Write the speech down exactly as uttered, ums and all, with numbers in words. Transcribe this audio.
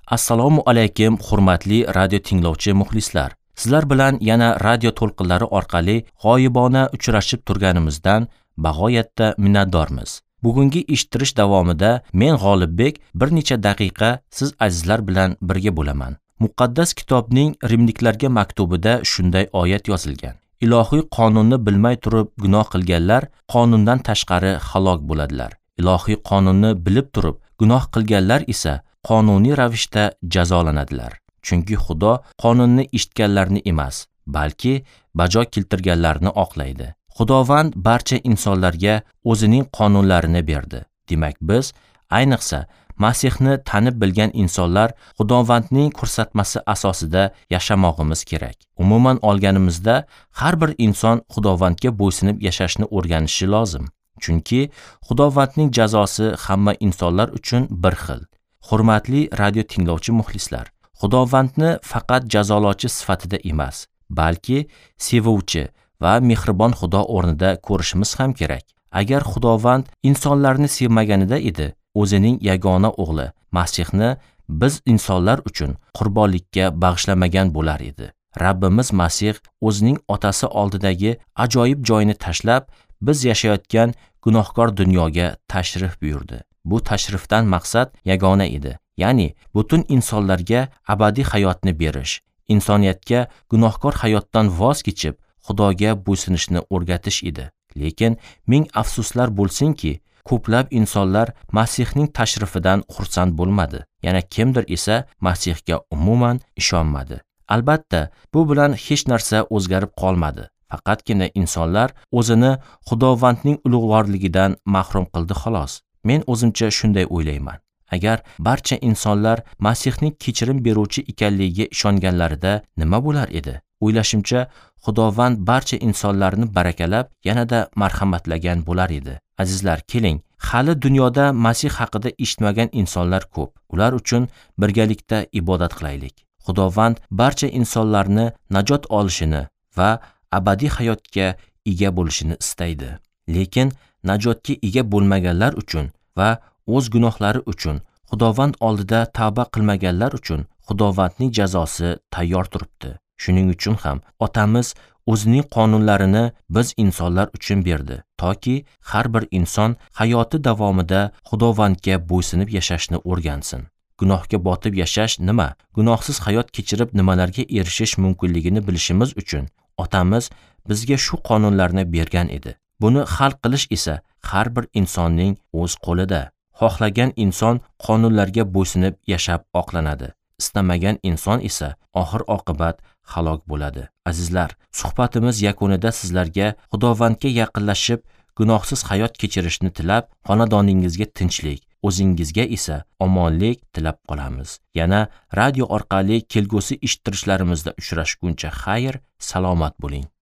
Assalomu alaykum hurmatli radio tinglovchi muxlislar. Sizlar bilan yana radio to'lqinlari orqali g'oyibona uchrashib turganimizdan bag'oyatda minnatdormiz. Bugungi eshittirish davomida men G'olibbek bir necha daqiqa siz azizlar bilan birga bo'laman. Muqaddas kitobning Rimliklarga maktubida shunday oyat yozilgan. Ilohiy qonunni bilmay turib gunoh qilganlar qonundan tashqari halok bo'ladilar. Ilohiy qonunni bilib turib gunoh qilganlar esa qonuniy ravishda jazolanadilar. Chunki Xudo qonunni eshitganlarni emas, balki bajo keltirganlarni oqlaydi. Xudovand barcha insonlarga o'zining qonunlarini berdi. Demak, biz ayniqsa Masihni tanib bilgan insonlar Xudovandning ko'rsatmasi asosida yashamog'imiz kerak. Umuman olganimizda har bir inson Xudovandga bo'ysunib yashashni o'rganishi lozim. Chunki Xudovandning jazosi hamma insonlar uchun bir xil. Hurmatli radio tinglovchi muxlislar, Xudovandni faqat jazolovchi sifatida emas, balki sevuvchi va mehribon Xudo o'rnida ko'rishimiz ham kerak. Agar Xudovand insonlarni sevmaganida edi, o'zining yagona o'g'li Masihni biz insonlar uchun qurbonlikka bag'ishlamagan bo'lar edi. Rabbimiz Masih o'zining otasi oldidagi ajoyib joyini tashlab, biz yashayotgan gunohkor dunyoga tashrif buyurdi. Bu tashrifdan maqsad yagona edi, ya'ni butun insonlarga abadiy hayotni berish, insoniyatga gunohkor hayotdan voz kechib, Xudoga bo'ysunishni o'rgatish edi. Lekin ming afsuslar bo'lsinki, ko'plab insonlar Masihning tashrifidan xursand bo'lmadi. Yana kimdir esa Masihga umuman ishonmadi. Albatta, bu bilan hech narsa o'zgarib qolmadi. Faqatgina insonlar o'zini Xudovandning ulug'vorligidan mahrum qildi xolos. Men o'zimcha shunday o'ylayman. Agar barcha insonlar Masihning kechirim beruvchi ekanligiga ishonganlarida nima bo'lar edi? O'ylashimcha, Xudovand barcha insonlarni barakalab, yanada marhamatlagan bo'lar edi. Azizlar, keling, hali dunyoda Masih haqida eshitmagan insonlar ko'p. Ular uchun birgalikda ibodat qilaylik. Xudovand barcha insonlarni najot olishini va abadiy hayotga ega bo'lishini istaydi. Lekin najotga ega bo'lmaganlar uchun va o'z gunohlari uchun Xudovand oldida tavba qilmaganlar uchun Xudovandning jazosi tayyor turibdi. Shuning uchun ham otamiz o'zining qonunlarini biz insonlar uchun berdi, toki har bir inson hayoti davomida Xudovandga bo'ysunib yashashni o'rgansin. Gunohga botib yashash nima? Gunohsiz hayot kechirib nimalarga erishish mumkinligini bilishimiz uchun otamiz bizga shu qonunlarni bergan edi. Buni hal qilish esa har bir insonning o'z qo'lida. Xohlagan inson qonunlarga bo'ysunib yashab oqlanadi. Istamagan inson esa oxir oqibat halok bo'ladi. Azizlar, suhbatimiz yakunida sizlarga Xudovandga yaqinlashib, gunohsiz hayot kechirishni tilab, xonadoningizga tinchlik, o'zingizga esa omonlik tilab qolamiz. Yana radio orqali kelgusi eshittirishlarimizda uchrashguncha xayr, salomat bo'ling.